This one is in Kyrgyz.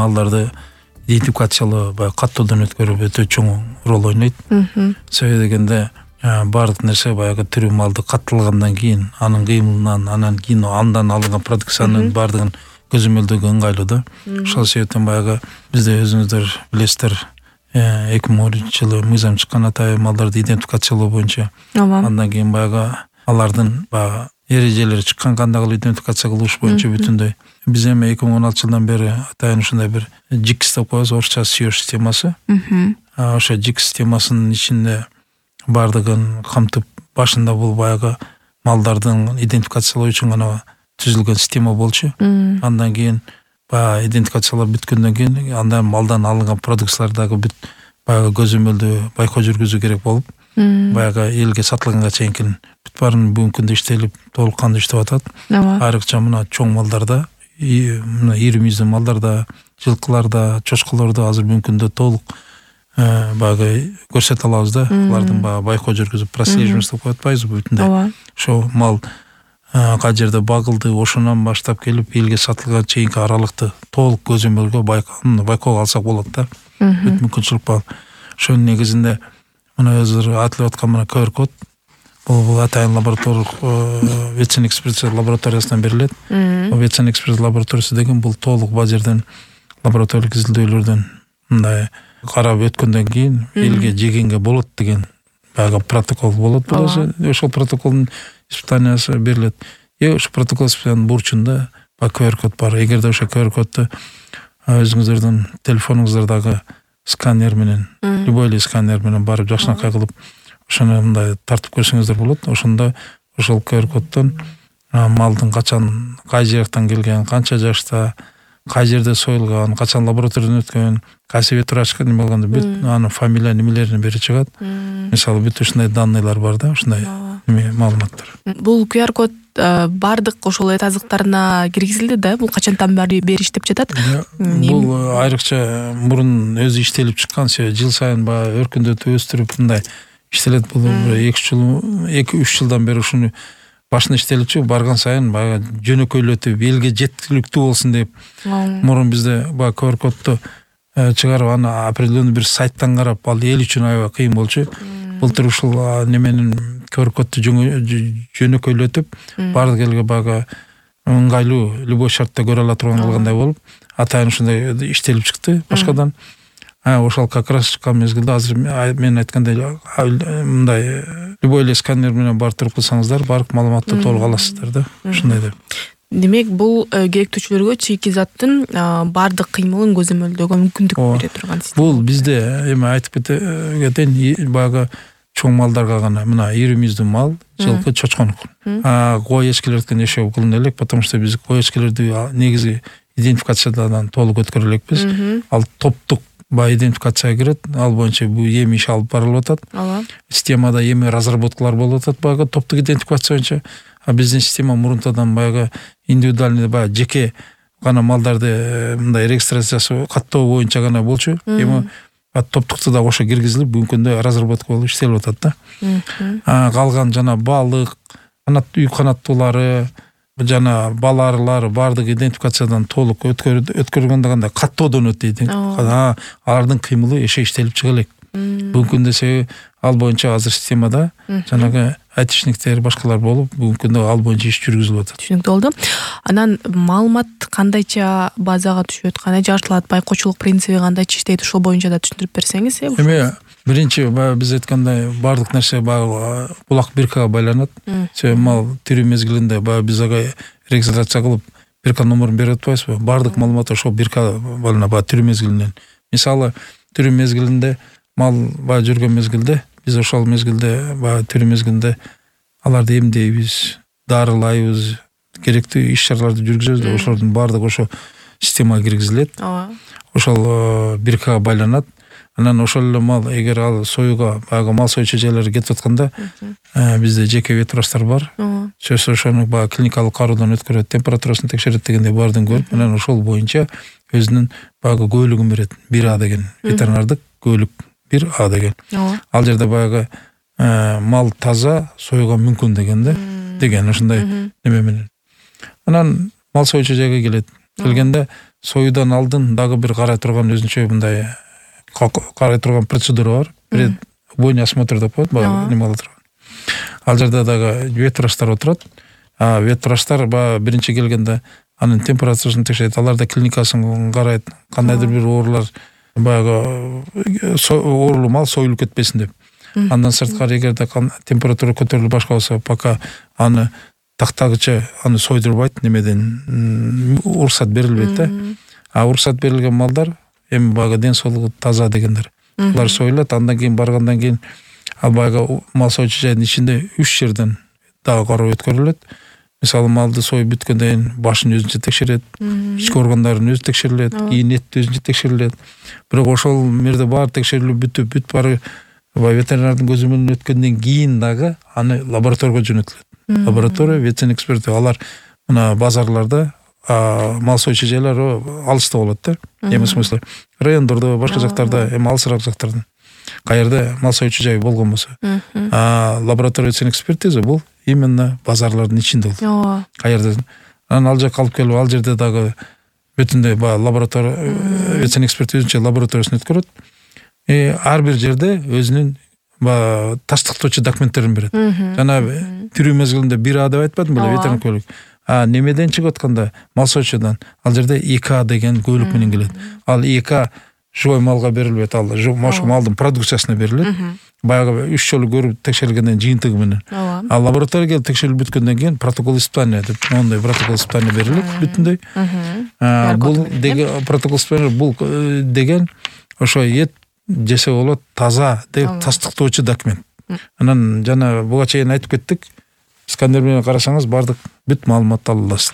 малдарды идентификациялоо баягы каттоодон өткөрүп өтө чоң роль ойнойт. Себеби дегенде баардык нерсе баягы тирүү малды катталгандан кийин анын кыймылынан анан кийин андан алынган продукциянын баардыгын көзөмөлдөөгө ыңгайлуу да. Ошол себептен баягы бизде өзүңүздөр билесиздер 2010-жылы мыйзам чыккан атайын малдарды идентификациялоо боюнча. Андан кийин баягы алардын баягы эрежелери чыккан, кандай кылып идентификация кылыш боюнча бүтүндөй. Биз эми 2016-жылдан бери атайын ушундай бир JIC деп коебуз, орусча SEO системасы. Ошо JIC системасынын ичинде баардыгын камтып, башында бул баягы малдардын идентификациялоо үчүн гана түзүлгөн система болчу. Андан кийин баягы идентификациялап бүткөндөн кийин андан малдан алынган продукциялар дагы бүт баягы көзөмөлдөө байкоо жүргүзүү керек болуп, баягы элге сатылганга чейин бүт баарын бүгүнкү күндө иштелип, толук кандуу иштеп атат. Айрыкча мына чоң малдарда, мына ири мүйүздүү малдарда, жылкыларда, чочколордо азыр бүгүнкү күндө толук баягы көрсөтө алабыз да. Алардын баягы байкоо жүргүзүп, прослеживание деп коюп атпайбызбы бүтүндөй. Ошо мал кай жерде багылды, ошонан баштап келип элге сатылганга чейинки аралыкты толук көзөмөлгө байкоого алсак болот да. Бүт мүмкүнчүлүк бар. Ошонун негизинде мына өзү айтылып аткан мына QR код бул атайын лабораториялык ветеринар экспертиза лабораториясынан берилет. Ветеринар экспертиза лабораториясы деген бул толук базерден лабораториялык изилдөөлөрдөн мындай карап өткөндөн кийин элге жегенге болот деген баягы протокол болот. Ошол протоколдун испытаниясы берилет. Ошо протокол испытаниянын бурчунда QR код бар. Эгерде ошо QR кодду өзүңүздөрдүн телефонуңуздардагы сканер менен, любой эле сканер менен барып жакшынакай кылып ошону мындай тартып көрсөңүздөр болот. Ошондо ошол QR коддон малдын качан, кай жактан келген, канча жашта, кай жерде союлган, качан лабораториядан өткөн, кайсы ветврачка неме болгондо бүт анын фамилия немелерин бери чыгат. Мисалы бүт ушундай данныйлар бар да, ушундай маалыматтар. Бул QR код бардык ошол эт азыктарына киргизилди да. Бул качантан бери иштеп жатат? Бул айрыкча мурун өзү иштелип чыккан, жыл сайын баягы өркүндөтүп өстүрүп мындай иштелет. Бул 2-3 жылдан бери ушуну башына иштелипчи, барган сайын баягы жөнөкөйлөтүп, элге жеткиликтүү болсун деп. Мурун бизде баягы QR кодду чыгарып, аны определенный бир сайттан карап, ал эл үчүн аябай кыйын болчу. Былтыр ушул неменин QR кодду жөнөкөйлөтүп, бардык элге баягы ыңгайлуу, любой шартта көрө ала турган кылгандай болуп, атайын ушундай иштелип чыкты башкадан. Ошол как раз чыккан мезгилде азыр мен айткандай мындай любой эле сканер менен барып туруп кылсаңыздар, бардык маалыматты толук аласыздар да. Ушундай деп. Демек, бул керектүүчүлөргө чийки заттын бардык кыймылын көзөмөлдөөгө мүмкүндүк бере турган система. Бул бизде эми айтып кетейин, баягы чоң малдарга гана, мына ири мүйүздүү мал, жылкы, чочконук. Кой эчкилердикин эшеп кылына элек, потому что биз кой эчкилерди негизи идентификациядан толук өткөрө элекпиз. Ал топтук идентификацияга кирет, ал боюнча бул эми иш алып барылып атат. Системада эми разработкалар болуп атат баягы топтук идентификация боюнча. Биздин система мурунтадан баягы индивидуальный баягы жеке гана малдарды мындай регистрациясы каттоо боюнча гана болчу. Эми топтукту да кошо киргизилип, бүгүнкү күндө разработка болуп иштелип атат да. Калган жана балык, үй канаттуулары, жана баларылар бардык идентификациядан толук өткөргөндө кандай каттоодон өтөйт. Алардын кыймылы иштелип чыга элек. Бүгүнкү күндө себеби ал боюнча азыр системада жанагы айтишниктер башкалар болуп, бүгүнкү күндө ал боюнча иш жүргүзүлүп атат. Түшүнүктүү болду. Анан маалымат кандайча базага түшөт, кандай жартылат, байкоочулук принциби кандайча иштейт, ошол боюнча да түшүндүрүп берсеңиз. Эми биринчи биз айткандай бардык нерсе баягы кулак биркага байланат. Себеби мал тирүү мезгилинде баягы биз ага регистрация кылып бирка номерин берип атпайбызбы? Бардык маалымат ошол биркага байланат баягы тирүү мезгилинен. Мисалы, тирүү мезгилинде мал баягы жүргөн мезгилде биз ошол мезгилде баягы тирүү мезгилинде аларды эмдейбиз, дарылайбыз, керектүү иш-чараларды жүргүзөбүз да, ошолордун бардыгы ошо системага киргизилет. Ошол биркага байланат. Анан ошол эле мал эгер ал союга баягы мал союучу жайларга кетип атканда, бизде жеке ветврачтар бар. Сөзсүз ошону баягы клиникалык кароодон өткөрөт, температурасын текшерет дегендей баардыгын көрүп, анан ошол боюнча өзүнүн баягы көөлүгүн берет. 1А деген ветеринардык көөлүк 1А деген. Ал жерде баягы мал таза, союга мүмкүн деген ошундай неме менен. Анан мал союучу жайга келет. келгенде союудан алдын дагы бир карай турган өзүнчө мындай карай турган процедура бар. Бойный осмотр деп коет, баягы неме кыла турган. Ал жерде дагы ветврачтар отурат. Ветврачтар биринчи келгенде анын температурасын текшерет, аларда клиникасын карайт, кандайдыр бир оорулар баягы оорулуу мал союлуп кетпесин деп. Андан сырткары эгерде температура көтөрүлүп башка болсо, пока аны тактагыча аны сойдурбайт, немеден уруксат берилбейт да. Уруксат берилген малдар эми баягы ден соолугу таза дегендер. Булар союлат, андан кийин баргандан кийин ал баягы мал союучу жайдын ичинде 3 жерден дагы кароо өткөрүлөт. Мисалы малды союп бүткөндөн кийин башын өзүнчө текшерет, ички органдарын өзү текшерилет, кийин эт өзүнчө текшерилет. Бирок ошол мерде баары текшерилип бүт баары ветеринардын көзү менен өткөндөн кийин дагы аны лабораторияга жөнөтүлөт. Лаборатория, ветэксперти, алар мына базарларда мал союучу жайлар алыста болот да. Эми смысле райондордо, башка жактарда, эми алысыраак жактардан. Каерде мал союучу жай болгон болсо. Лаборатория экспертиза бул именно базарлардын ичинде болот. Каерде анан ал жакка алып келип, ал жерде дагы бүтүндөй лаборатория эксперти өзүнчө лабораториясын өткөрөт. Ар бир жерде өзүнүн тастыктоочу документтерин берет. Жана тирүү мезгилинде 1А деп айтпадым беле, ветеринар көлүк. Немеден чыгып атканда мал союучудан ал жерде 2А деген көлүк менен келет. Ал 2А живой малга берилбейт, ал ошол малдын продукциясына берилет. Баягы 3 жолу көрүп текшерилгенден жыйынтыгы менен. Ал лабораторияга келип текшерилип бүткөндөн кийин протокол испытания деп моундай протокол испытания берилет бүтүндөй. Бул деген протокол испытания бул деген ошо эт жесе болот таза деп тастыктоочу документ. Анан жана буга чейин айтып кеттик. Сканер менен карасаңыз бардык бүт маалыматты ала аласыз.